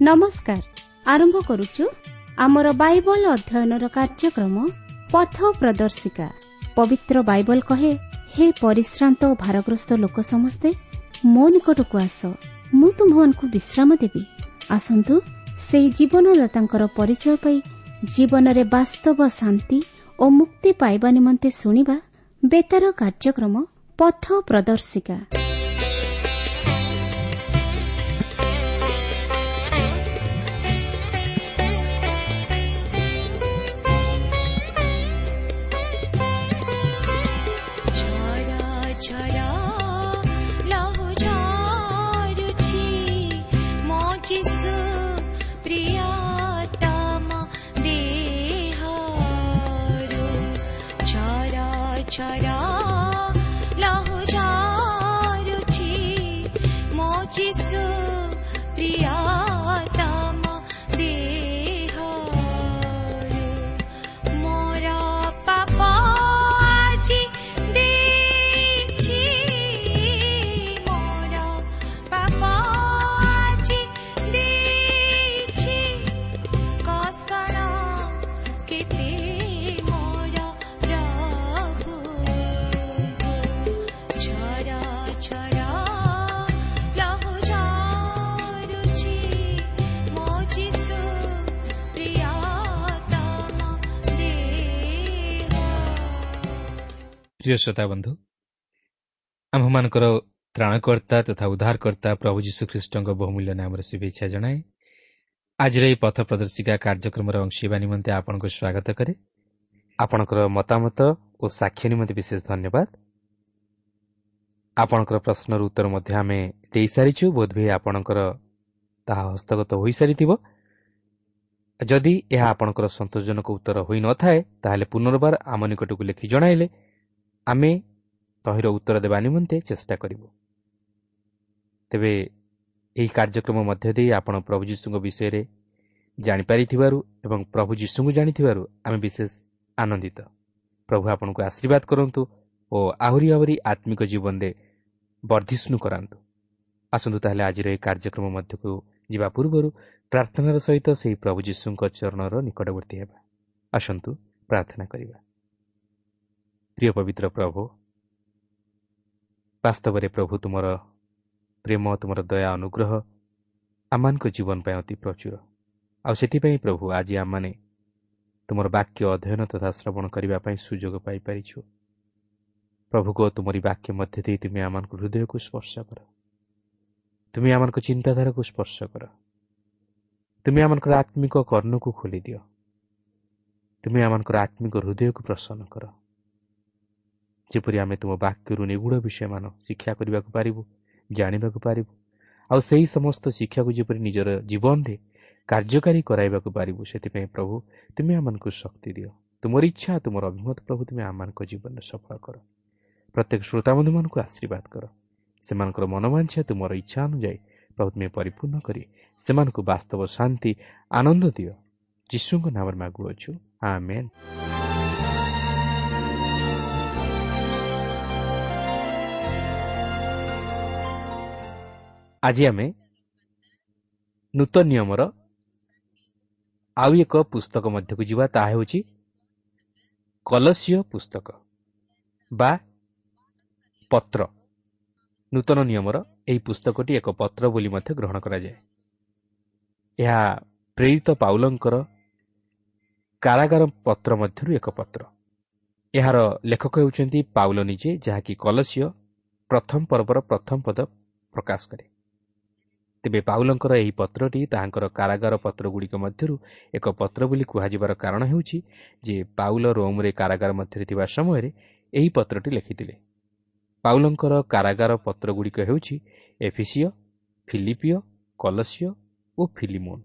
ନମସ୍କାର। ଆରମ୍ଭ କରୁଛୁ ଆମର ବାଇବଲ ଅଧ୍ୟୟନର କାର୍ଯ୍ୟକ୍ରମ ପଥ ପ୍ରଦର୍ଶିକା। ପବିତ୍ର ବାଇବଲ କହେ, ହେ ପରିଶ୍ରାନ୍ତ ଓ ଭାରଗ୍ରସ୍ତ ଲୋକ ସମସ୍ତେ ମୋ ନିକଟକୁ ଆସ, ମୁଁ ତୁମ୍ଭମାନଙ୍କୁ ବିଶ୍ରାମ ଦେବି। ଆସନ୍ତୁ ସେହି ଜୀବନଦାତାଙ୍କର ପରିଚୟ ପାଇ ଜୀବନରେ ବାସ୍ତବ ଶାନ୍ତି ଓ ମୁକ୍ତି ପାଇବା ନିମନ୍ତେ ଶୁଣିବା ବେତାର କାର୍ଯ୍ୟକ୍ରମ ପଥ ପ୍ରଦର୍ଶିକା। ପ୍ରିୟ ଶ୍ରୋତା ବନ୍ଧୁ, ଆମ୍ଭମାନଙ୍କର ତ୍ରାଣକର୍ତ୍ତା ତଥା ଉଦ୍ଧାରକର୍ତ୍ତା ପ୍ରଭୁ ଯୀଶୁଖ୍ରୀଷ୍ଟଙ୍କ ବହୁମୂଲ୍ୟ ନାମରେ ଶୁଭେଚ୍ଛା ଜଣାଏ। ଆଜିର ଏହି ପଥ ପ୍ରଦର୍ଶିକା କାର୍ଯ୍ୟକ୍ରମର ଅଂଶ ହେବା ନିମନ୍ତେ ଆପଣଙ୍କୁ ସ୍ୱାଗତ କରେ। ଆପଣଙ୍କର ମତାମତ ଓ ସାକ୍ଷ୍ୟ ନିମନ୍ତେ ବିଶେଷ ଧନ୍ୟବାଦ। ଆପଣଙ୍କର ପ୍ରଶ୍ନର ଉତ୍ତର ମଧ୍ୟ ଆମେ ଦେଇସାରିଛୁ, ବୋଧହୁଏ ଆପଣଙ୍କର ତାହା ହସ୍ତଗତ ହୋଇସାରିଥିବ। ଯଦି ଏହା ଆପଣଙ୍କର ସନ୍ତୋଷଜନକ ଉତ୍ତର ହୋଇନଥାଏ, ତାହେଲେ ପୁନର୍ବାର ଆମ ନିକଟକୁ ଲେଖି ଜଣାଇଲେ ଆମେ ତହିଁର ଉତ୍ତର ଦେବା ନିମନ୍ତେ ଚେଷ୍ଟା କରିବୁ। ତେବେ ଏହି କାର୍ଯ୍ୟକ୍ରମ ମଧ୍ୟ ଦେଇ ଆପଣ ପ୍ରଭୁ ଯୀଶୁଙ୍କ ବିଷୟରେ ଜାଣିପାରିଥିବାରୁ ଏବଂ ପ୍ରଭୁ ଯୀଶୁଙ୍କୁ ଜାଣିଥିବାରୁ ଆମେ ବିଶେଷ ଆନନ୍ଦିତ। ପ୍ରଭୁ ଆପଣଙ୍କୁ ଆଶୀର୍ବାଦ କରନ୍ତୁ ଓ ଆହୁରି ଆହୁରି ଆତ୍ମିକ ଜୀବନରେ ବର୍ଦ୍ଧିଷ୍ଣୁ କରାନ୍ତୁ। ଆସନ୍ତୁ ତାହେଲେ ଆଜିର ଏହି କାର୍ଯ୍ୟକ୍ରମ ମଧ୍ୟକୁ ଯିବା ପୂର୍ବରୁ ପ୍ରାର୍ଥନାର ସହିତ ସେହି ପ୍ରଭୁ ଯୀଶୁଙ୍କ ଚରଣର ନିକଟବର୍ତ୍ତୀ ହେବା। ଆସନ୍ତୁ ପ୍ରାର୍ଥନା କରିବା। ପ୍ରିୟ ପବିତ୍ର ପ୍ରଭୁ, ବାସ୍ତବରେ ପ୍ରଭୁ ତୁମର ପ୍ରେମ, ତୁମର ଦୟା ଅନୁଗ୍ରହ ଆମମାନଙ୍କ ଜୀବନ ପାଇଁ ଅତି ପ୍ରଚୁର। ଆଉ ସେଥିପାଇଁ ପ୍ରଭୁ ଆଜି ଆମମାନେ ତୁମର ବାକ୍ୟ ଅଧ୍ୟୟନ ତଥା ଶ୍ରବଣ କରିବା ପାଇଁ ସୁଯୋଗ ପାଇପାରିଛୁ। ପ୍ରଭୁଙ୍କ ତୁମରି ବାକ୍ୟ ମଧ୍ୟ ଦେଇ ତୁମେ ଆମମାନଙ୍କ ହୃଦୟକୁ ସ୍ପର୍ଶ କର, ତୁମେ ଆମମାନଙ୍କ ଚିନ୍ତାଧାରାକୁ ସ୍ପର୍ଶ କର, ତୁମେ ଆମମାନଙ୍କର ଆତ୍ମିକ କର୍ଣ୍ଣକୁ ଖୋଲିଦିଅ, ତୁମେ ଆମମାନଙ୍କର ଆତ୍ମିକ ହୃଦୟକୁ ପ୍ରସନ୍ନ କର, ଯେପରି ଆମେ ତୁମ ବାକ୍ୟରୁ ନିଗୂଢ଼ ବିଷୟମାନ ଶିକ୍ଷା କରିବାକୁ ପାରିବୁ, ଜାଣିବାକୁ ପାରିବୁ, ଆଉ ସେହି ସମସ୍ତ ଶିକ୍ଷାକୁ ଯେପରି ନିଜର ଜୀବନରେ କାର୍ଯ୍ୟକାରୀ କରାଇବାକୁ ପାରିବୁ। ସେଥିପାଇଁ ପ୍ରଭୁ ତୁମେ ଆମମାନଙ୍କୁ ଶକ୍ତି ଦିଅ। ତୁମର ଇଚ୍ଛା, ତୁମର ଅଭିମତ ପ୍ରଭୁ ତୁମେ ଆମମାନଙ୍କ ଜୀବନରେ ସଫଳ କର। ପ୍ରତ୍ୟେକ ଶ୍ରୋତାବନ୍ଧୁମାନଙ୍କୁ ଆଶୀର୍ବାଦ କର। ସେମାନଙ୍କର ମନୋବାଞ୍ଛା ତୁମର ଇଚ୍ଛା ଅନୁଯାୟୀ ପ୍ରଭୁ ତୁମେ ପରିପୂର୍ଣ୍ଣ କରି ସେମାନଙ୍କୁ ବାସ୍ତବ ଶାନ୍ତି ଆନନ୍ଦ ଦିଅ। ଯୀଶୁଙ୍କ ନାମରେ ମାଗୁଅଛୁ, ଆମେନ୍। ଆଜି ଆମେ ନୂତନ ନିୟମର ଆଉ ଏକ ପୁସ୍ତକ ମଧ୍ୟକୁ ଯିବା। ତାହା ହେଉଛି କଲସୀୟ ପୁସ୍ତକ ବା ପତ୍ର। ନୂତନ ନିୟମର ଏହି ପୁସ୍ତକଟି ଏକ ପତ୍ର ବୋଲି ମଧ୍ୟ ଗ୍ରହଣ କରାଯାଏ। ଏହା ପ୍ରେରିତ ପାଉଲଙ୍କର କାରାଗାର ପତ୍ର ମଧ୍ୟରୁ ଏକ ପତ୍ର। ଏହାର ଲେଖକ ହେଉଛନ୍ତି ପାଉଲ ନିଜେ, ଯାହାକି କଲସୀୟ ପ୍ରଥମ ପର୍ବର ପ୍ରଥମ ପଦ ପ୍ରକାଶ କରେ। ତେବେ ପାଉଲଙ୍କର ଏହି ପତ୍ରଟି ତାହାଙ୍କର କାରାଗାର ପତ୍ରଗୁଡ଼ିକ ମଧ୍ୟରୁ ଏକ ପତ୍ର ବୋଲି କୁହାଯିବାର କାରଣ ହେଉଛି ଯେ ପାଉଲ ରୋମରେ କାରାଗାର ମଧ୍ୟରେ ଥିବା ସମୟରେ ଏହି ପତ୍ରଟି ଲେଖିଥିଲେ। ପାଉଲଙ୍କର କାରାଗାର ପତ୍ରଗୁଡ଼ିକ ହେଉଛି ଏଫିସିୟ, ଫିଲିପିୟ, କଲସୀୟ ଓ ଫିଲିମୋନ।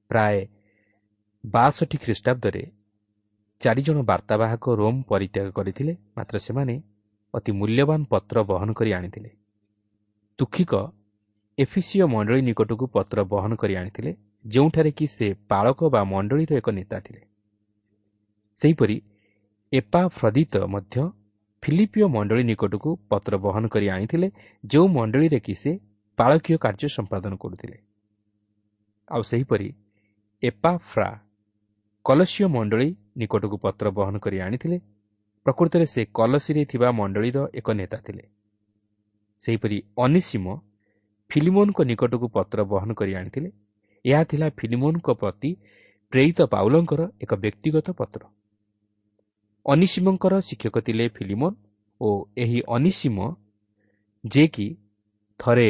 ପ୍ରାୟ 62 ଖ୍ରୀଷ୍ଟାବ୍ଦରେ 4 ଜଣ ବାର୍ତ୍ତାବାହକ ରୋମ୍ ପରିତ୍ୟାଗ କରିଥିଲେ, ମାତ୍ର ସେମାନେ ଅତି ମୂଲ୍ୟବାନ ପତ୍ର ବହନ କରି ଆଣିଥିଲେ। ତୁଖିକ ଏଫିସିୟ ମଣ୍ଡଳୀ ନିକଟକୁ ପତ୍ର ବହନ କରି ଆଣିଥିଲେ, ଯେଉଁଠାରେ କି ସେ ପାଳକ ବା ମଣ୍ଡଳୀର ଏକ ନେତା ଥିଲେ। ସେହିପରି ଏପାଫ୍ରଦିତ ମଧ୍ୟ ଫିଲିପିୟ ମଣ୍ଡଳୀ ନିକଟକୁ ପତ୍ର ବହନ କରି ଆଣିଥିଲେ, ଯେଉଁ ମଣ୍ଡଳୀରେ କି ସେ ପାଳକୀୟ କାର୍ଯ୍ୟ ସମ୍ପାଦନ କରୁଥିଲେ। ଆଉ ସେହିପରି ଏପାଫ୍ରା କଲସୀୟ ମଣ୍ଡଳୀ ନିକଟକୁ ପତ୍ର ବହନ କରି ଆଣିଥିଲେ। ପ୍ରକୃତରେ ସେ କଲସୀରେ ଥିବା ମଣ୍ଡଳୀର ଏକ ନେତା ଥିଲେ। ସେହିପରି ଅନିସୀମ ଫିଲିମୋନଙ୍କ ନିକଟକୁ ପତ୍ର ବହନ କରି ଆଣିଥିଲେ। ଏହା ଥିଲା ଫିଲିମୋନଙ୍କ ପ୍ରତି ପ୍ରେରିତ ପାଉଲଙ୍କର ଏକ ବ୍ୟକ୍ତିଗତ ପତ୍ର। ଅନିସୀମଙ୍କର ଶିକ୍ଷକ ଥିଲେ ଫିଲିମୋନ ଓ ଏହି ଅନିସୀମ ଯିଏକି ଥରେ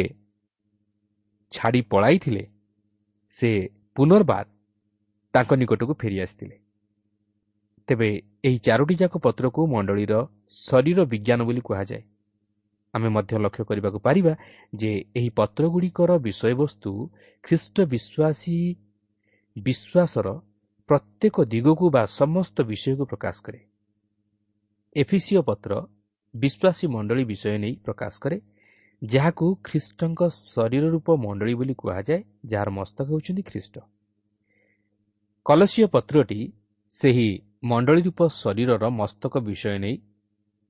ଛାଡ଼ି ପଳାଇଥିଲେ, ସେ ପୁନର୍ବାର ତାଙ୍କ ନିକଟକୁ ଫେରି ଆସିଥିଲେ। ତେବେ ଏହି ଚାରୋଟି ଯାକ ପତ୍ରକୁ ମଣ୍ଡଳୀର ଶରୀର ବିଜ୍ଞାନ ବୋଲି କୁହାଯାଏ। ଆମେ ମଧ୍ୟ ଲକ୍ଷ୍ୟ କରିବାକୁ ପାରିବା ଯେ ଏହି ପତ୍ରଗୁଡ଼ିକର ବିଷୟବସ୍ତୁ ଖ୍ରୀଷ୍ଟ ବିଶ୍ୱାସୀ ବିଶ୍ୱାସର ପ୍ରତ୍ୟେକ ଦିଗକୁ ବା ସମସ୍ତ ବିଷୟକୁ ପ୍ରକାଶ କରେ। ଏଫିସୀୟ ପତ୍ର ବିଶ୍ୱାସୀ ମଣ୍ଡଳୀ ବିଷୟ ନେଇ ପ୍ରକାଶ କରେ, ଯାହାକୁ ଖ୍ରୀଷ୍ଟଙ୍କ ଶରୀର ରୂପ ମଣ୍ଡଳୀ ବୋଲି କୁହାଯାଏ, ଯାହାର ମସ୍ତକ ହେଉଛନ୍ତି ଖ୍ରୀଷ୍ଟ। କଲସୀୟ ପତ୍ରଟି ସେହି ମଣ୍ଡଳୀ ରୂପ ଶରୀରର ମସ୍ତକ ବିଷୟ ନେଇ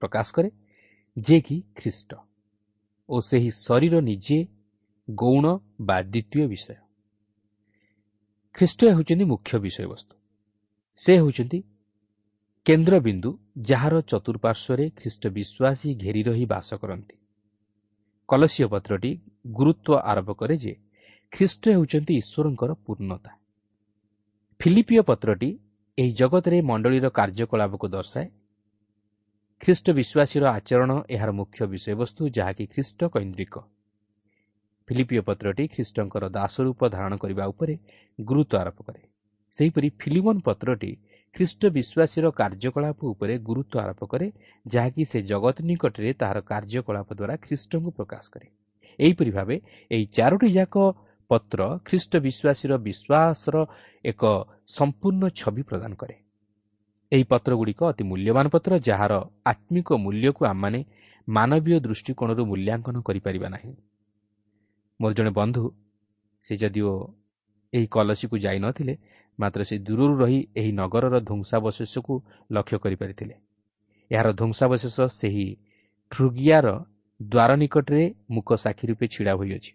ପ୍ରକାଶ କରେ, ଯିଏକି ଖ୍ରୀଷ୍ଟ ଓ ସେହି ଶରୀର ନିଜେ ଗୌଣ ବା ଦ୍ୱିତୀୟ ବିଷୟ। ଖ୍ରୀଷ୍ଟ ହେଉଛନ୍ତି ମୁଖ୍ୟ ବିଷୟବସ୍ତୁ। ସେ ହେଉଛନ୍ତି କେନ୍ଦ୍ରବିନ୍ଦୁ, ଯାହାର ଚତୁଃପାର୍ଶ୍ୱରେ ଖ୍ରୀଷ୍ଟ ବିଶ୍ୱାସୀ ଘେରି ରହି ବାସ କରନ୍ତି। କଲସୀୟ ପତ୍ରଟି ଗୁରୁତ୍ୱ ଆରୋପ କରେ ଯେ ଖ୍ରୀଷ୍ଟ ହେଉଛନ୍ତି ଈଶ୍ୱରଙ୍କର ପୂର୍ଣ୍ଣତା। ଫିଲିପୀୟ ପତ୍ରଟି ଏହି ଜଗତରେ ମଣ୍ଡଳୀର କାର୍ଯ୍ୟକଳାପକୁ ଦର୍ଶାଏ। ଖ୍ରୀଷ୍ଟ ବିଶ୍ୱାସୀର ଆଚରଣ ଏହାର ମୁଖ୍ୟ ବିଷୟବସ୍ତୁ, ଯାହାକି ଖ୍ରୀଷ୍ଟ କୈନ୍ଦ୍ରିକ। ଫିଲିପୀୟ ପତ୍ରଟି ଖ୍ରୀଷ୍ଟଙ୍କର ଦାସରୂପ ଧାରଣ କରିବା ଉପରେ ଗୁରୁତ୍ୱ ଆରୋପ କରେ। ସେହିପରି ଫିଲିମୋନ ପତ୍ରଟି ଖ୍ରୀଷ୍ଟ ବିଶ୍ୱାସୀର କାର୍ଯ୍ୟକଳାପ ଉପରେ ଗୁରୁତ୍ୱ ଆରୋପ କରେ, ଯାହାକି ସେ ଜଗତ ନିକଟରେ ତାହାର କାର୍ଯ୍ୟକଳାପ ଦ୍ୱାରା ଖ୍ରୀଷ୍ଟଙ୍କୁ ପ୍ରକାଶ କରେ। ଏହିପରି ଭାବେ ଏହି ଚାରୋଟି ଯାକ ପତ୍ର ଖ୍ରୀଷ୍ଟ ବିଶ୍ୱାସୀର ବିଶ୍ୱାସର ଏକ ସମ୍ପୂର୍ଣ୍ଣ ଛବି ପ୍ରଦାନ କରେ। ଏହି ପତ୍ରଗୁଡ଼ିକ ଅତି ମୂଲ୍ୟବାନ ପତ୍ର, ଯାହାର ଆତ୍ମିକ ମୂଲ୍ୟକୁ ଆମମାନେ ମାନବୀୟ ଦୃଷ୍ଟିକୋଣରୁ ମୂଲ୍ୟାଙ୍କନ କରିପାରିବା ନାହିଁ। ମୋର ଜଣେ ବନ୍ଧୁ, ସେ ଯଦିଓ ଏହି କଲସୀକୁ ଯାଇନଥିଲେ, ମାତ୍ର ସେ ଦୂରରୁ ରହି ଏହି ନଗରର ଧ୍ୱଂସାବଶେଷକୁ ଲକ୍ଷ୍ୟ କରିପାରିଥିଲେ। ଏହାର ଧ୍ୱଂସାବଶେଷ ସେହି ଫ୍ରୁଗିଆର ଦ୍ୱାର ନିକଟରେ ମୂକ ସାକ୍ଷୀ ରୂପେ ଛିଡ଼ା ହୋଇଅଛି।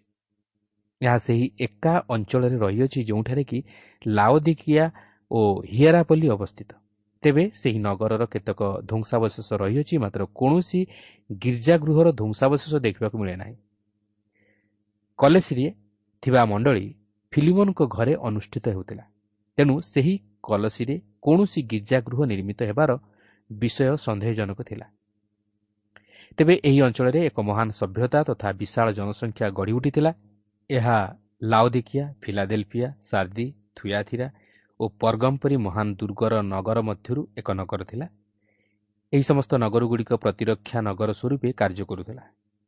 ଏହା ସେହି ଏକା ଅଞ୍ଚଳରେ ରହିଅଛି ଯେଉଁଠାରେ କି ଲାଓଦିକିଆ ଓ ହିଏରାପଲ୍ଲୀ ଅବସ୍ଥିତ। ତେବେ ସେହି ନଗରର କେତେକ ଧ୍ୱଂସାବଶେଷ ରହିଅଛି, ମାତ୍ର କୌଣସି ଗିର୍ଜାଗୃହର ଧ୍ୱଂସାବଶେଷ ଦେଖିବାକୁ ମିଳେ ନାହିଁ। କଲସୀରେ ଥିବା ମଣ୍ଡଳୀ ଫିଲିମୋନଙ୍କ ଘରେ ଅନୁଷ୍ଠିତ ହେଉଥିଲା, ତେଣୁ ସେହି କଲସୀରେ କୌଣସି ଗିର୍ଜାଗୃହ ନିର୍ମିତ ହେବାର ବିଷୟ ସନ୍ଦେହଜନକ ଥିଲା। ତେବେ ଏହି ଅଞ୍ଚଳରେ ଏକ ମହାନ ସଭ୍ୟତା ତଥା ବିଶାଳ ଜନସଂଖ୍ୟା ଗଢ଼ି ଉଠିଥିଲା। ଏହା ଲାଓଦିକିଆ, ଫିଲାଡେଲଫିଆ, ସାର୍ଦି, ଥୁୟାଥିରା ଓ ପର୍ଗମ ପରି ମହାନ ଦୁର୍ଗର ନଗର ମଧ୍ୟରୁ ଏକ ନଗର ଥିଲା। ଏହି ସମସ୍ତ ନଗରଗୁଡ଼ିକ ପ୍ରତିରକ୍ଷା ନଗର ସ୍ୱରୂପେ କାର୍ଯ୍ୟ କରୁଥିଲା,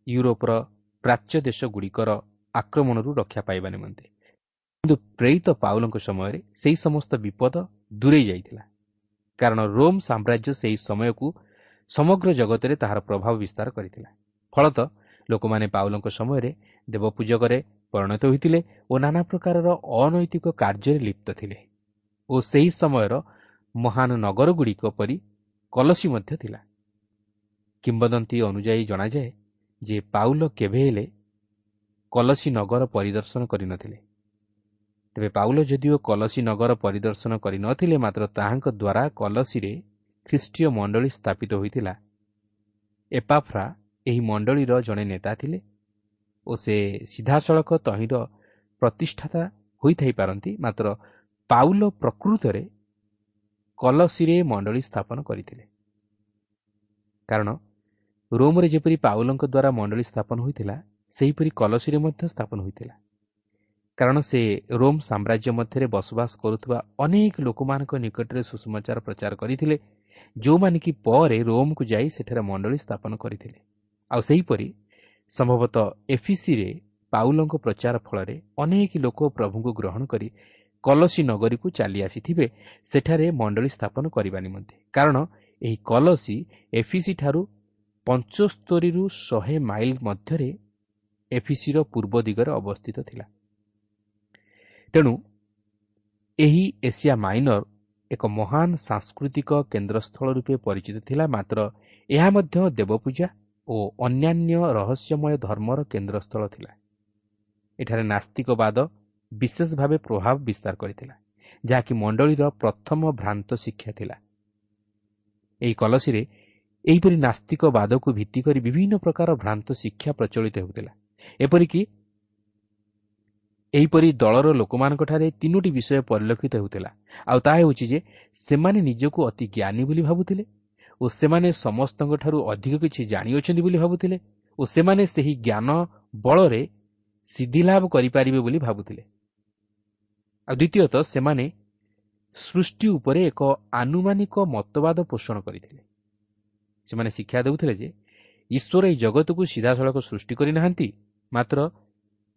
ୟୁରୋପର ପ୍ରାଚ୍ୟ ଦେଶଗୁଡ଼ିକର ଆକ୍ରମଣରୁ ରକ୍ଷା ପାଇବା ନିମନ୍ତେ। କିନ୍ତୁ ପ୍ରେରିତ ପାଉଲଙ୍କ ସମୟରେ ସେହି ସମସ୍ତ ବିପଦ ଦୂରେଇ ଯାଇଥିଲା, କାରଣ ରୋମ୍ ସାମ୍ରାଜ୍ୟ ସେହି ସମୟକୁ ସମଗ୍ର ଜଗତରେ ତାହାର ପ୍ରଭାବ ବିସ୍ତାର କରିଥିଲା। ଫଳତଃ ଲୋକମାନେ ପାଉଲଙ୍କ ସମୟରେ ଦେବପୂଜକରେ ପରିଣତ ହୋଇଥିଲେ ଓ ନାନା ପ୍ରକାରର ଅନୈତିକ କାର୍ଯ୍ୟରେ ଲିପ୍ତ ଥିଲେ ଓ ସେହି ସମୟର ମହାନ ନଗରଗୁଡ଼ିକ ପରି କଲସୀ ମଧ୍ୟ ଥିଲା। କିମ୍ବଦନ୍ତୀ ଅନୁଯାୟୀ ଜଣାଯାଏ ଯେ ପାଉଲ କେବେ ହେଲେ କଲସୀ ନଗର ପରିଦର୍ଶନ କରିନଥିଲେ। ତେବେ ପାଉଲ ଯଦିଓ କଲସୀ ନଗର ପରିଦର୍ଶନ କରିନଥିଲେ, ମାତ୍ର ତାହାଙ୍କ ଦ୍ୱାରା କଲସୀରେ ଖ୍ରୀଷ୍ଟୀୟ ମଣ୍ଡଳୀ ସ୍ଥାପିତ ହୋଇଥିଲା। ଏପାଫ୍ରା ଏହି ମଣ୍ଡଳୀର ଜଣେ ନେତା ଥିଲେ ଓ ସେ ସିଧାସଳଖ ତହିଁର ପ୍ରତିଷ୍ଠାତା ହୋଇଥାଇପାରନ୍ତି, ମାତ୍ର ପାଉଲ ପ୍ରକୃତରେ କଲସୀରେ ମଣ୍ଡଳୀ ସ୍ଥାପନ କରିଥିଲେ। କାରଣ ରୋମରେ ଯେପରି ପାଉଲଙ୍କ ଦ୍ୱାରା ମଣ୍ଡଳୀ ସ୍ଥାପନ ହୋଇଥିଲା, ସେହିପରି କଲସୀରେ ମଧ୍ୟ ସ୍ଥାପନ ହୋଇଥିଲା। କାରଣ ସେ ରୋମ୍ ସାମ୍ରାଜ୍ୟ ମଧ୍ୟରେ ବସବାସ କରୁଥିବା ଅନେକ ଲୋକମାନଙ୍କ ନିକଟରେ ସୁସମାଚାର ପ୍ରଚାର କରିଥିଲେ, ଯେଉଁମାନେ କି ପରେ ରୋମକୁ ଯାଇ ସେଠାରେ ମଣ୍ଡଳୀ ସ୍ଥାପନ କରିଥିଲେ। ଆଉ ସେହିପରି ସମ୍ଭବତଃ ଏଫିସିରେ ପାଉଲଙ୍କ ପ୍ରଚାର ଫଳରେ ଅନେକ ଲୋକ ପ୍ରଭୁଙ୍କୁ ଗ୍ରହଣ କରି କଲସୀ ନଗରୀକୁ ଚାଲି ଆସିଥିବେ ସେଠାରେ ମଣ୍ଡଳୀ ସ୍ଥାପନ କରିବା ନିମନ୍ତେ। କାରଣ ଏହି କଲସୀ ଏଫିସି ଠାରୁ 75ରୁ 100 ମାଇଲ ମଧ୍ୟରେ ଏଫିସିର ପୂର୍ବ ଦିଗରେ ଅବସ୍ଥିତ ଥିଲା। ତେଣୁ ଏହି ଏସିଆ ମାଇନର ଏକ ମହାନ ସାଂସ୍କୃତିକ କେନ୍ଦ୍ରସ୍ଥଳ ରୂପେ ପରିଚିତ ଥିଲା, ମାତ୍ର ଏହା ମଧ୍ୟ ଦେବପୂଜା ଓ ଅନ୍ୟାନ୍ୟ ରହସ୍ୟମୟ ଧର୍ମର କେନ୍ଦ୍ରସ୍ଥଳ ଥିଲା। ଏଠାରେ ନାସ୍ତିକବାଦ ବିଶେଷ ଭାବେ ପ୍ରଭାବ ବିସ୍ତାର କରିଥିଲା, ଯାହାକି ମଣ୍ଡଳୀର ପ୍ରଥମ ଭ୍ରାନ୍ତ ଶିକ୍ଷା ଥିଲା। ଏହି କଲସୀରେ ଏହିପରି ନାସ୍ତିକବାଦକୁ ଭିତ୍ତି କରି ବିଭିନ୍ନ ପ୍ରକାର ଭ୍ରାନ୍ତ ଶିକ୍ଷା ପ୍ରଚଳିତ ହେଉଥିଲା। ଏପରିକି ଏହିପରି ଦଳର ଲୋକମାନଙ୍କଠାରେ ତିନୋଟି ବିଷୟ ପରିଲକ୍ଷିତ ହେଉଥିଲା, ଆଉ ତାହା ହେଉଛି ଯେ ସେମାନେ ନିଜକୁ ଅତି ଜ୍ଞାନୀ ବୋଲି ଭାବୁଥିଲେ ଓ ସେମାନେ ସମସ୍ତଙ୍କଠାରୁ ଅଧିକ କିଛି ଜାଣିଅଛନ୍ତି ବୋଲି ଭାବୁଥିଲେ ଓ ସେମାନେ ସେହି ଜ୍ଞାନ ବଳରେ ସିଦ୍ଧିଲାଭ କରିପାରିବେ ବୋଲି ଭାବୁଥିଲେ। ଆଉ ଦ୍ୱିତୀୟତଃ, ସେମାନେ ସୃଷ୍ଟି ଉପରେ ଏକ ଆନୁମାନିକ ମତବାଦ ପୋଷଣ କରିଥିଲେ। ସେମାନେ ଶିକ୍ଷା ଦେଉଥିଲେ ଯେ ଈଶ୍ୱର ଏହି ଜଗତକୁ ସିଧାସଳଖ ସୃଷ୍ଟି କରିନାହାନ୍ତି, ମାତ୍ର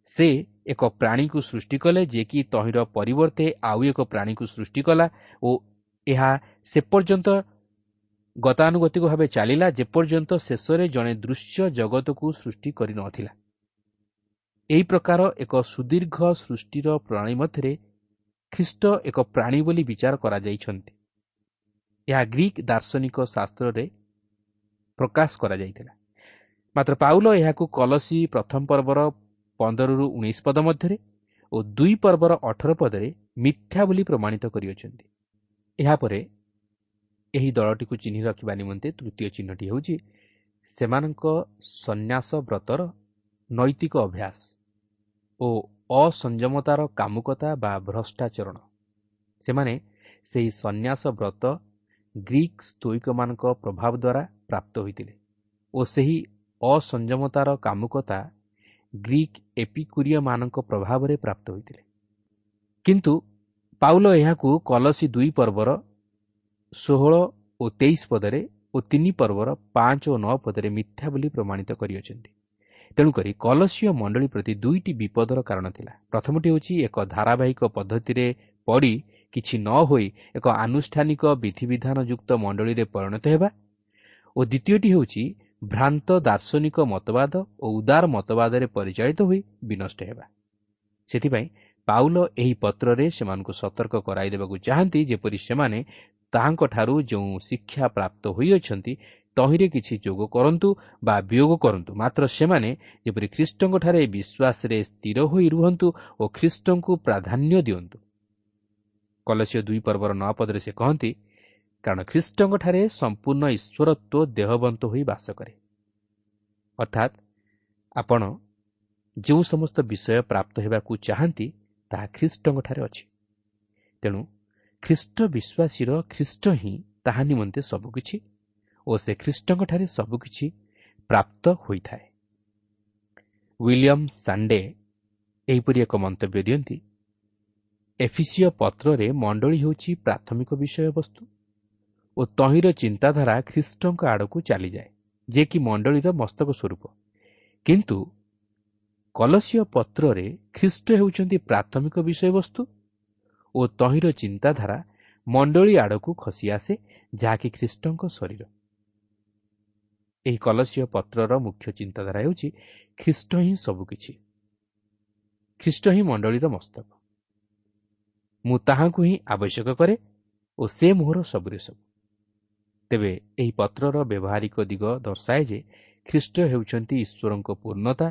ସେ ଏକ ପ୍ରାଣୀକୁ ସୃଷ୍ଟି କଲେ, ଯିଏକି ତହିଁର ପରିବର୍ତ୍ତେ ଆଉ ଏକ ପ୍ରାଣୀକୁ ସୃଷ୍ଟି କଲା ଓ ଏହା ସେ ପର୍ଯ୍ୟନ୍ତ ଗତାନୁଗତିକ ଭାବେ ଚାଲିଲା ଯେପର୍ଯ୍ୟନ୍ତ ଶେଷରେ ଜଣେ ଦୃଶ୍ୟ ଜଗତକୁ ସୃଷ୍ଟି କରିନଥିଲା। ଏହି ପ୍ରକାର ଏକ ସୁଦୀର୍ଘ ସୃଷ୍ଟିର ପ୍ରଣାଳୀ ମଧ୍ୟରେ ଖ୍ରୀଷ୍ଟ ଏକ ପ୍ରାଣୀ ବୋଲି ବିଚାର କରାଯାଇଛନ୍ତି। ଏହା ଗ୍ରୀକ୍ ଦାର୍ଶନିକ ଶାସ୍ତ୍ରରେ ପ୍ରକାଶ କରାଯାଇଥିଲା। ମାତ୍ର ପାଉଲ ଏହାକୁ କଲସୀ ପ୍ରଥମ ପର୍ବର 15ରୁ 19 ପଦ ମଧ୍ୟରେ ଓ 2 ପର୍ବର 18 ପଦରେ ମିଥ୍ୟା ବୋଲି ପ୍ରମାଣିତ କରିଅଛନ୍ତି। ଏହାପରେ ଏହି ଦଳଟିକୁ ଚିହ୍ନି ରଖିବା ନିମନ୍ତେ ତୃତୀୟ ଚିହ୍ନଟି ହେଉଛି ସେମାନଙ୍କ ସନ୍ନ୍ୟାସ ବ୍ରତର ନୈତିକ ଅଭ୍ୟାସ ଓ ଅସଂଯମତାର କାମୁକତା ବା ଭ୍ରଷ୍ଟାଚରଣ। ସେମାନେ ସେହି ସନ୍ନ୍ୟାସ ବ୍ରତ ଗ୍ରୀକ୍ ସ୍ତୋଇକମାନଙ୍କ ପ୍ରଭାବ ଦ୍ୱାରା ପ୍ରାପ୍ତ ହୋଇଥିଲେ ଓ ସେହି ଅସଂଯମତାର କାମୁକତା ଗ୍ରୀକ୍ ଏପିକୁରିୟମାନଙ୍କ ପ୍ରଭାବରେ ପ୍ରାପ୍ତ ହୋଇଥିଲେ। କିନ୍ତୁ ପାଉଲ ଏହାକୁ କଲସୀ 2 ପର୍ବର 16 ଓ 23 ପଦରେ ଓ 3 ପର୍ବର 5 ଓ 9 ପଦରେ ମିଥ୍ୟା ବୋଲି ପ୍ରମାଣିତ କରିଅଛନ୍ତି। ତେଣୁକରି କଲସୀୟ ମଣ୍ଡଳୀ ପ୍ରତି ଦୁଇଟି ବିପଦର କାରଣ ଥିଲା। ପ୍ରଥମଟି ହେଉଛି ଏକ ଧାରାବାହିକ ପଦ୍ଧତିରେ ପଡ଼ି କିଛି ନ ହୋଇ ଏକ ଆନୁଷ୍ଠାନିକ ବିଧିବିଧାନ ଯୁକ୍ତ ମଣ୍ଡଳୀରେ ପରିଣତ ହେବା ଓ ଦ୍ୱିତୀୟଟି ହେଉଛି ଭ୍ରାନ୍ତ ଦାର୍ଶନିକ ମତବାଦ ଓ ଉଦାର ମତବାଦରେ ପରିଚାଳିତ ହୋଇ ବିନଷ୍ଟ ହେବା। ସେଥିପାଇଁ ପାଉଲ ଏହି ପତ୍ରରେ ସେମାନଙ୍କୁ ସତର୍କ କରାଇଦେବାକୁ ଚାହାନ୍ତି, ଯେପରି ସେମାନେ ତାହାଙ୍କଠାରୁ ଯେଉଁ ଶିକ୍ଷା ପ୍ରାପ୍ତ ହୋଇଅଛନ୍ତି ତହିଁରେ କିଛି ଯୋଗ କରନ୍ତୁ ବା ବିୟୋଗ କରନ୍ତୁ, ମାତ୍ର ସେମାନେ ଯେପରି ଖ୍ରୀଷ୍ଟଙ୍କଠାରେ ବିଶ୍ୱାସରେ ସ୍ଥିର ହୋଇ ରୁହନ୍ତୁ ଓ ଖ୍ରୀଷ୍ଟଙ୍କୁ ପ୍ରାଧାନ୍ୟ ଦିଅନ୍ତୁ। କଲସୀୟ 2 ପର୍ବର 9 ପଦରେ ସେ କହନ୍ତି, କାରଣ ଖ୍ରୀଷ୍ଟଙ୍କଠାରେ ସମ୍ପୂର୍ଣ୍ଣ ଈଶ୍ୱରତ୍ୱ ଦେହବନ୍ତ ହୋଇ ବାସ କରେ। ଅର୍ଥାତ୍ ଆପଣ ଯେଉଁ ସମସ୍ତ ବିଷୟ ପ୍ରାପ୍ତ ହେବାକୁ ଚାହାନ୍ତି ତାହା ଖ୍ରୀଷ୍ଟଙ୍କଠାରେ ଅଛି। ତେଣୁ ଖ୍ରୀଷ୍ଟ ବିଶ୍ୱାସୀର ଖ୍ରୀଷ୍ଟ ହିଁ ତାହା ନିମନ୍ତେ ସବୁକିଛି ଓ ସେ ଖ୍ରୀଷ୍ଟଙ୍କଠାରେ ସବୁକିଛି ପ୍ରାପ୍ତ ହୋଇଥାଏ। ୱିଲିୟମ୍ ସାଣ୍ଡେ ଏହିପରି ଏକ ମନ୍ତବ୍ୟ ଦିଅନ୍ତି, ଏଫିସିୟ ପତ୍ରରେ ମଣ୍ଡଳୀ ହେଉଛି ପ୍ରାଥମିକ ବିଷୟବସ୍ତୁ ଓ ତହିଁର ଚିନ୍ତାଧାରା ଖ୍ରୀଷ୍ଟଙ୍କ ଆଡ଼କୁ ଚାଲିଯାଏ, ଯେ କି ମଣ୍ଡଳୀର ମସ୍ତକ ସ୍ୱରୂପ। କିନ୍ତୁ କଲସୀୟ ପତ୍ରରେ ଖ୍ରୀଷ୍ଟ ହେଉଛନ୍ତି ପ୍ରାଥମିକ ବିଷୟବସ୍ତୁ ଓ ତହିଁର ଚିନ୍ତାଧାରା ମଣ୍ଡଳୀ ଆଡ଼କୁ ଖସି ଆସେ, ଯାହାକି ଖ୍ରୀଷ୍ଟଙ୍କ ଶରୀର। ଏହି କଲସୀୟ ପତ୍ରର ମୁଖ୍ୟ ଚିନ୍ତାଧାରା ହେଉଛି ଖ୍ରୀଷ୍ଟ ହିଁ ସବୁକିଛି, ଖ୍ରୀଷ୍ଟ ହିଁ ମଣ୍ଡଳୀର ମସ୍ତକ। ମୁଁ ତାହାଙ୍କୁ ହିଁ ଆବଶ୍ୟକ କରେ ଓ ସେ ମୋହର ସବୁରେ ସବୁ। ତେବେ ଏହି ପତ୍ରର ବ୍ୟବହାରିକ ଦିଗ ଦର୍ଶାଏ ଯେ ଖ୍ରୀଷ୍ଟ ହେଉଛନ୍ତି ଈଶ୍ୱରଙ୍କ ପୂର୍ଣ୍ଣତା,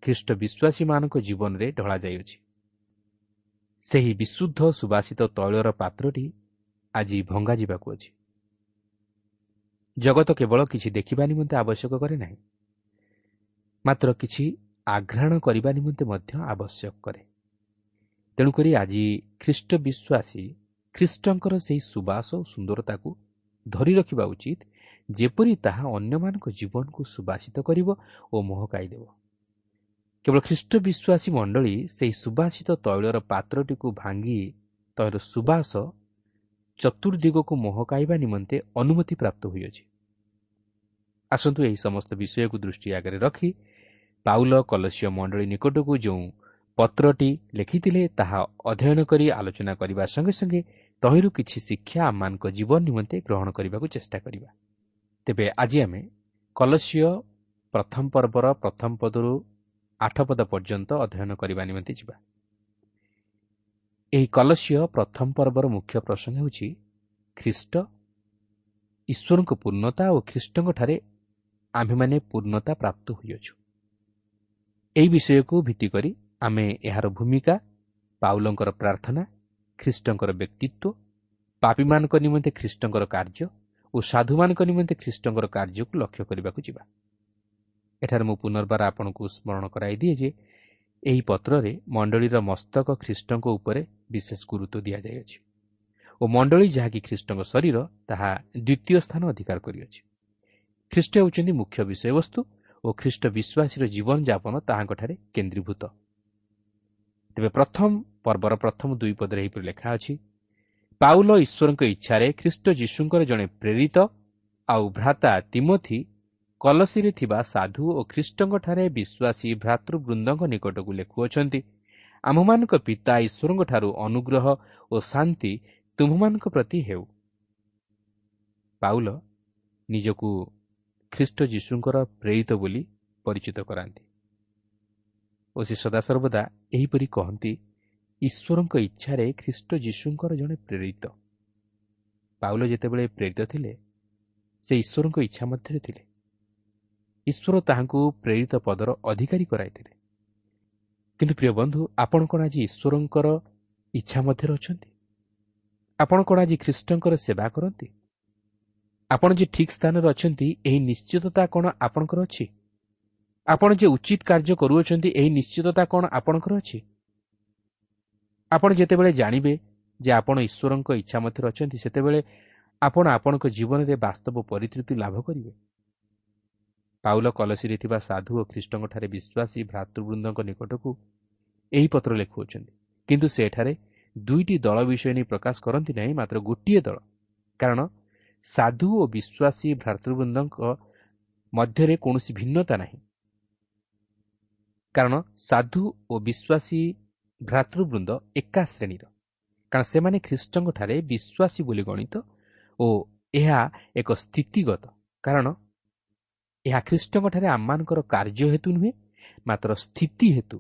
ଖ୍ରୀଷ୍ଟ ବିଶ୍ୱାସୀମାନଙ୍କ ଜୀବନରେ ଢଳାଯାଇଅଛି। ସେହି ବିଶୁଦ୍ଧ ସୁବାସିତ ତୈଳର ପାତ୍ରଟି ଆଜି ଭଙ୍ଗାଯିବାକୁ ଅଛି। ଜଗତ କେବଳ କିଛି ଦେଖିବା ନିମନ୍ତେ ଆବଶ୍ୟକ କରେ ନାହିଁ, ମାତ୍ର କିଛି ଆଘ୍ରାଣ କରିବା ନିମନ୍ତେ ମଧ୍ୟ ଆବଶ୍ୟକ କରେ। ତେଣୁକରି ଆଜି ଖ୍ରୀଷ୍ଟ ବିଶ୍ୱାସୀ ଖ୍ରୀଷ୍ଟଙ୍କର ସେହି ସୁବାସ ଓ ସୁନ୍ଦରତାକୁ ଧରି ରଖିବା ଉଚିତ, ଯେପରି ତାହା ଅନ୍ୟମାନଙ୍କ ଜୀବନକୁ ସୁବାସିତ କରିବ ଓ ମହକାଇ ଦେବ। କେବଳ ଖ୍ରୀଷ୍ଟ ବିଶ୍ୱାସୀ ମଣ୍ଡଳୀ ସେହି ସୁବାସିତ ତୈଳର ପାତ୍ରଟିକୁ ଭାଙ୍ଗି ତୈଳର ସୁବାସ ଚତୁର୍ଦିଗକୁ ମହକାଇବା ନିମନ୍ତେ ଅନୁମତି ପ୍ରାପ୍ତ ହୋଇଅଛି। ଆସନ୍ତୁ ଏହି ସମସ୍ତ ବିଷୟକୁ ଦୃଷ୍ଟି ଆଗରେ ରଖି ପାଉଲ କଲସୀୟ ମଣ୍ଡଳୀ ନିକଟକୁ ଯେଉଁ ପତ୍ରଟି ଲେଖିଥିଲେ ତାହା ଅଧ୍ୟୟନ କରି ଆଲୋଚନା କରିବା ସଙ୍ଗେ ସଙ୍ଗେ ତହିଁରୁ କିଛି ଶିକ୍ଷା ଆମମାନଙ୍କ ଜୀବନ ନିମନ୍ତେ ଗ୍ରହଣ କରିବାକୁ ଚେଷ୍ଟା କରିବା। ତେବେ ଆଜି ଆମେ କଲସୀୟ ପ୍ରଥମ ପର୍ବର ପ୍ରଥମ ପଦରୁ 8 ପଦ ପର୍ଯ୍ୟନ୍ତ ଅଧ୍ୟୟନ କରିବା ନିମନ୍ତେ ଯିବା। ଏହି କଲସୀୟ ପ୍ରଥମ ପର୍ବର ମୁଖ୍ୟ ପ୍ରସଙ୍ଗ ହେଉଛି ଖ୍ରୀଷ୍ଟ, ଈଶ୍ୱରଙ୍କ ପୂର୍ଣ୍ଣତା ଓ ଖ୍ରୀଷ୍ଟଙ୍କଠାରେ ଆମ୍ଭେମାନେ ପୂର୍ଣ୍ଣତା ପ୍ରାପ୍ତ ହୋଇଅଛୁ। ଏହି ବିଷୟକୁ ଭିତ୍ତି କରି ଆମେ ଏହାର ଭୂମିକା ପାଉଲଙ୍କର ପ୍ରାର୍ଥନା, ଖ୍ରୀଷ୍ଟଙ୍କର ବ୍ୟକ୍ତିତ୍ୱ, ପାପୀମାନଙ୍କ ନିମନ୍ତେ ଖ୍ରୀଷ୍ଟଙ୍କର କାର୍ଯ୍ୟ ଓ ସାଧୁମାନଙ୍କ ନିମନ୍ତେ ଖ୍ରୀଷ୍ଟଙ୍କର କାର୍ଯ୍ୟକୁ ଲକ୍ଷ୍ୟ କରିବାକୁ ଯିବା। ଏଠାରେ ମୁଁ ପୁନର୍ବାର ଆପଣଙ୍କୁ ସ୍ମରଣ କରାଇ ଦିଏ ଯେ ଏହି ପତ୍ରରେ ମଣ୍ଡଳୀର ମସ୍ତକ ଖ୍ରୀଷ୍ଟଙ୍କ ଉପରେ ବିଶେଷ ଗୁରୁତ୍ୱ ଦିଆଯାଇଅଛି ଓ ମଣ୍ଡଳୀ ଯାହାକି ଖ୍ରୀଷ୍ଟଙ୍କ ଶରୀର, ତାହା ଦ୍ୱିତୀୟ ସ୍ଥାନ ଅଧିକାର କରିଅଛି। ଖ୍ରୀଷ୍ଟ ହେଉଛନ୍ତି ମୁଖ୍ୟ ବିଷୟବସ୍ତୁ ଓ ଖ୍ରୀଷ୍ଟ ବିଶ୍ୱାସୀର ଜୀବନଯାପନ ତାହାଙ୍କଠାରେ କେନ୍ଦ୍ରୀଭୂତ। ତେବେ ପ୍ରଥମ ପର୍ବର ପ୍ରଥମ ଦୁଇ ପଦରେ ଏହିପରି ଲେଖା ଅଛି, ପାଉଲ ଈଶ୍ୱରଙ୍କ ଇଚ୍ଛାରେ ଖ୍ରୀଷ୍ଟ ଯୀଶୁଙ୍କର ଜଣେ ପ୍ରେରିତ ଆଉ ଭ୍ରାତା ତିମୋଥି କଲସୀରେ ଥିବା ସାଧୁ ଓ ଖ୍ରୀଷ୍ଟଙ୍କଠାରେ ବିଶ୍ୱାସୀ ଭ୍ରାତୃବୃନ୍ଦଙ୍କ ନିକଟକୁ ଲେଖୁଅଛନ୍ତି, ଆମ୍ଭମାନଙ୍କ ପିତା ଈଶ୍ୱରଙ୍କଠାରୁ ଅନୁଗ୍ରହ ଓ ଶାନ୍ତି ତୁମ୍ଭମାନଙ୍କ ପ୍ରତି ହେଉ। ପାଉଲ ନିଜକୁ ଖ୍ରୀଷ୍ଟ ଯୀଶୁଙ୍କର ପ୍ରେରିତ ବୋଲି ପରିଚିତ କରାନ୍ତି ଓ ସେ ସଦାସର୍ବଦା ଏହିପରି କହନ୍ତି, ଈଶ୍ୱରଙ୍କ ଇଚ୍ଛାରେ ଖ୍ରୀଷ୍ଟ ଯୀଶୁଙ୍କର ଜଣେ ପ୍ରେରିତ। ପାଉଲ ଯେତେବେଳେ ପ୍ରେରିତ ଥିଲେ, ସେ ଈଶ୍ୱରଙ୍କ ଇଚ୍ଛା ମଧ୍ୟରେ ଥିଲେ। ଈଶ୍ୱର ତାହାଙ୍କୁ ପ୍ରେରିତ ପଦର ଅଧିକାରୀ କରାଇଥିଲେ। କିନ୍ତୁ ପ୍ରିୟ ବନ୍ଧୁ, ଆପଣ କ'ଣ ଆଜି ଈଶ୍ୱରଙ୍କର ଇଚ୍ଛା ମଧ୍ୟରେ ଅଛନ୍ତି? ଆପଣ କ'ଣ ଆଜି ଖ୍ରୀଷ୍ଟଙ୍କର ସେବା କରନ୍ତି? ଆପଣ ଯେ ଠିକ୍ ସ୍ଥାନରେ ଅଛନ୍ତି, ଏହି ନିଶ୍ଚିତତା କ'ଣ ଆପଣଙ୍କର ଅଛି? ଆପଣ ଯେ ଉଚିତ କାର୍ଯ୍ୟ କରୁଅଛନ୍ତି, ଏହି ନିଶ୍ଚିତତା କ'ଣ ଆପଣଙ୍କର ଅଛି? ଆପଣ ଯେତେବେଳେ ଜାଣିବେ ଯେ ଆପଣ ଈଶ୍ୱରଙ୍କ ଇଚ୍ଛା ମଧ୍ୟରେ ଅଛନ୍ତି, ସେତେବେଳେ ଆପଣ ଆପଣଙ୍କ ଜୀବନରେ ବାସ୍ତବ ପରିତୃପ୍ତି ଲାଭ କରିବେ। ପାଉଲ କଲସୀରେ ଥିବା ସାଧୁ ଓ ଖ୍ରୀଷ୍ଟଙ୍କଠାରେ ବିଶ୍ୱାସୀ ଭ୍ରାତୃବୃନ୍ଦଙ୍କ ନିକଟକୁ ଏହି ପତ୍ର ଲେଖୁଅଛନ୍ତି, କିନ୍ତୁ ସେ ଏଠାରେ ଦୁଇଟି ଦଳ ବିଷୟ ନେଇ ପ୍ରକାଶ କରନ୍ତି ନାହିଁ, ମାତ୍ର ଗୋଟିଏ ଦଳ। କାରଣ ସାଧୁ ଓ ବିଶ୍ୱାସୀ ଭ୍ରାତୃବୃନ୍ଦଙ୍କ ମଧ୍ୟରେ କୌଣସି ଭିନ୍ନତା ନାହିଁ। କାରଣ ସାଧୁ ଓ ବିଶ୍ୱାସୀ ଭ୍ରାତୃବୃନ୍ଦ ଏକା ଶ୍ରେଣୀର, କାରଣ ସେମାନେ ଖ୍ରୀଷ୍ଟଙ୍କଠାରେ ବିଶ୍ୱାସୀ ବୋଲି ଗଣିତ ଓ ଏହା ଏକ ସ୍ଥିତିଗତ, କାରଣ ଏହା ଖ୍ରୀଷ୍ଟଙ୍କଠାରେ ଆମମାନଙ୍କର କାର୍ଯ୍ୟ ହେତୁ ନୁହେଁ, ମାତ୍ର ସ୍ଥିତି ହେତୁ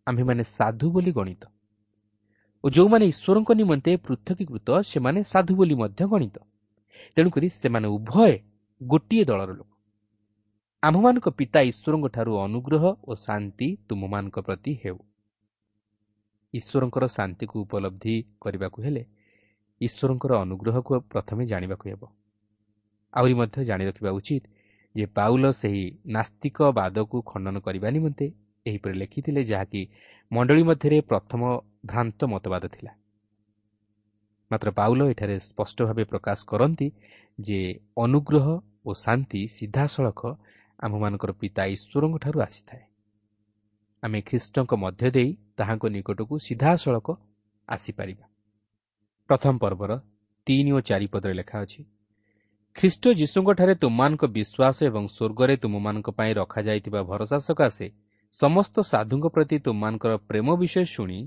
ଆମ୍ଭେମାନେ ସାଧୁ ବୋଲି ଗଣିତ ଓ ଯେଉଁମାନେ ଈଶ୍ୱରଙ୍କ ନିମନ୍ତେ ପୃଥକୀକୃତ, ସେମାନେ ସାଧୁ ବୋଲି ମଧ୍ୟ ଗଣିତ। ତେଣୁକରି ସେମାନେ ଉଭୟ ଗୋଟିଏ ଦଳର ଲୋକ। ଆମ୍ଭମାନଙ୍କ ପିତା ଈଶ୍ୱରଙ୍କଠାରୁ ଅନୁଗ୍ରହ ଓ ଶାନ୍ତି ତୁମମାନଙ୍କ ପ୍ରତି ହେଉ। ଈଶ୍ୱରଙ୍କର ଶାନ୍ତିକୁ ଉପଲବ୍ଧି କରିବାକୁ ହେଲେ ଈଶ୍ୱରଙ୍କର ଅନୁଗ୍ରହକୁ ପ୍ରଥମେ ଜାଣିବାକୁ ହେବ। ଆହୁରି ମଧ୍ୟ ଜାଣି ରଖିବା ଉଚିତ ଯେ ପାଉଲ ସେହି ନାସ୍ତିକବାଦକୁ ଖଣ୍ଡନ କରିବା ନିମନ୍ତେ ଏହିପରି ଲେଖିଥିଲେ, ଯାହାକି ମଣ୍ଡଳୀ ମଧ୍ୟରେ ପ୍ରଥମ ଭ୍ରାନ୍ତ ମତବାଦ ଥିଲା। ମାତ୍ର ପାଉଲ ଏଠାରେ ସ୍ପଷ୍ଟ ଭାବେ ପ୍ରକାଶ କରନ୍ତି ଯେ ଅନୁଗ୍ରହ ଓ ଶାନ୍ତି ସିଧାସଳଖ ଆମ୍ଭମାନଙ୍କର ପିତା ଈଶ୍ୱରଙ୍କଠାରୁ ଆସିଥାଏ। ଆମେ ଖ୍ରୀଷ୍ଟଙ୍କ ମଧ୍ୟ ଦେଇ ତାହାଙ୍କ ନିକଟକୁ ସିଧାସଳଖ ଆସିପାରିବା। ପ୍ରଥମ ପର୍ବର 3 ଓ 4 ପଦରେ ଲେଖା ଅଛି, ଖ୍ରୀଷ୍ଟ ଯୀଶୁଙ୍କଠାରେ ତୁମମାନଙ୍କ ବିଶ୍ୱାସ ଏବଂ ସ୍ୱର୍ଗରେ ତୁମମାନଙ୍କ ପାଇଁ ରଖାଯାଇଥିବା ଭରସା ସକାଶେ ସମସ୍ତ ସାଧୁଙ୍କ ପ୍ରତି ତୁମମାନଙ୍କର ପ୍ରେମ ବିଷୟ ଶୁଣି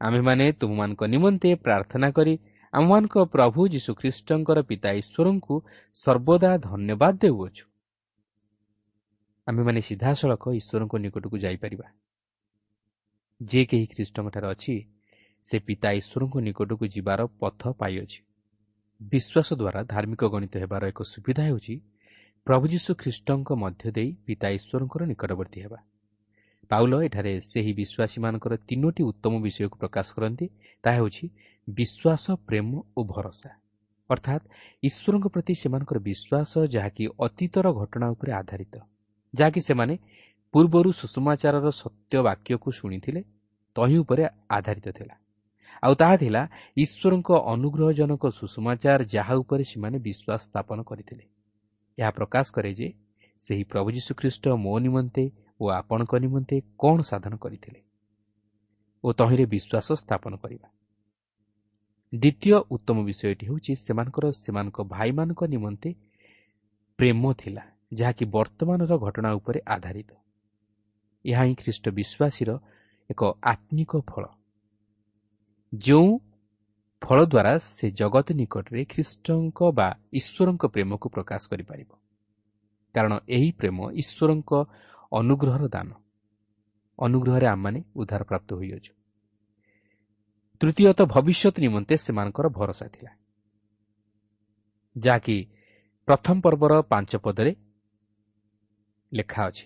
ଆମ୍ଭେମାନେ ତୁମମାନଙ୍କ ନିମନ୍ତେ ପ୍ରାର୍ଥନା କରି ଆମମାନଙ୍କ ପ୍ରଭୁ ଯୀଶୁଖ୍ରୀଷ୍ଟଙ୍କର ପିତା ଈଶ୍ୱରଙ୍କୁ ସର୍ବଦା ଧନ୍ୟବାଦ ଦେଉଅଛୁ। ଆମ୍ଭେମାନେ ସିଧାସଳଖ ଈଶ୍ୱରଙ୍କ ନିକଟକୁ ଯାଇପାରିବା। ଯେ କେହି ଖ୍ରୀଷ୍ଟଙ୍କଠାରେ ଅଛି, ସେ ପିତା ଈଶ୍ୱରଙ୍କ ନିକଟକୁ ଯିବାର ପଥ ପାଇଅଛି। ବିଶ୍ୱାସ ଦ୍ୱାରା ଧାର୍ମିକ ଗଣିତ ହେବାର ଏକ ସୁବିଧା ହେଉଛି ପ୍ରଭୁ ଯୀଶୁ ଖ୍ରୀଷ୍ଟଙ୍କ ମଧ୍ୟ ଦେଇ ପିତା ଈଶ୍ୱରଙ୍କର ନିକଟବର୍ତ୍ତୀ ହେବା। ପାଉଲ ଏଠାରେ ସେହି ବିଶ୍ୱାସୀମାନଙ୍କର ତିନୋଟି ଉତ୍ତମ ବିଷୟକୁ ପ୍ରକାଶ କରନ୍ତି। ତାହା ହେଉଛି ବିଶ୍ୱାସ, ପ୍ରେମ ଓ ଭରସା। ଅର୍ଥାତ୍ ଈଶ୍ୱରଙ୍କ ପ୍ରତି ସେମାନଙ୍କର ବିଶ୍ୱାସ, ଯାହାକି ଅତୀତର ଘଟଣା ଉପରେ ଆଧାରିତ, ଯାହାକି ସେମାନେ ପୂର୍ବରୁ ସୁଷମାଚାରର ସତ୍ୟ ବାକ୍ୟକୁ ଶୁଣିଥିଲେ, ତହିଁ ଉପରେ ଆଧାରିତ ଥିଲା। ଆଉ ତାହା ଥିଲା ଈଶ୍ୱରଙ୍କ ଅନୁଗ୍ରହଜନକ ସୁଷମାଚାର, ଯାହା ଉପରେ ସେମାନେ ବିଶ୍ୱାସ ସ୍ଥାପନ କରିଥିଲେ। ଏହା ପ୍ରକାଶ କରେ ଯେ ସେହି ପ୍ରଭୁ ଯୀଶୁଖ୍ରୀଷ୍ଟ ମୋ ନିମନ୍ତେ ଓ ଆପଣଙ୍କ ନିମନ୍ତେ କ'ଣ ସାଧନ କରିଥିଲେ ଓ ତହିଁରେ ବିଶ୍ୱାସ ସ୍ଥାପନ କରିବା। ଦ୍ୱିତୀୟ ଉତ୍ତମ ବିଷୟଟି ହେଉଛି ସେମାନଙ୍କର ସେମାନଙ୍କ ଭାଇମାନଙ୍କ ନିମନ୍ତେ ପ୍ରେମ ଥିଲା, ଯାହାକି ବର୍ତ୍ତମାନର ଘଟଣା ଉପରେ ଆଧାରିତ। ଏହା ହିଁ ଖ୍ରୀଷ୍ଟ ବିଶ୍ୱାସୀର ଏକ ଆତ୍ମିକ ଫଳ, ଯେଉଁ ଫଳ ଦ୍ୱାରା ସେ ଜଗତ ନିକଟରେ ଖ୍ରୀଷ୍ଟଙ୍କ ବା ଈଶ୍ୱରଙ୍କ ପ୍ରେମକୁ ପ୍ରକାଶ କରିପାରିବ। କାରଣ ଏହି ପ୍ରେମ ଈଶ୍ୱରଙ୍କ ଅନୁଗ୍ରହର ଦାନ। ଅନୁଗ୍ରହରେ ଆମମାନେ ଉଦ୍ଧାର ପ୍ରାପ୍ତ ହୋଇଅଛୁ। ତୃତୀୟତଃ, ଭବିଷ୍ୟତ ନିମନ୍ତେ ସେମାନଙ୍କର ଭରସା ଥିଲା, ଯାହାକି ପ୍ରଥମ ପର୍ବର 5 ପଦରେ ଲେଖା ଅଛି।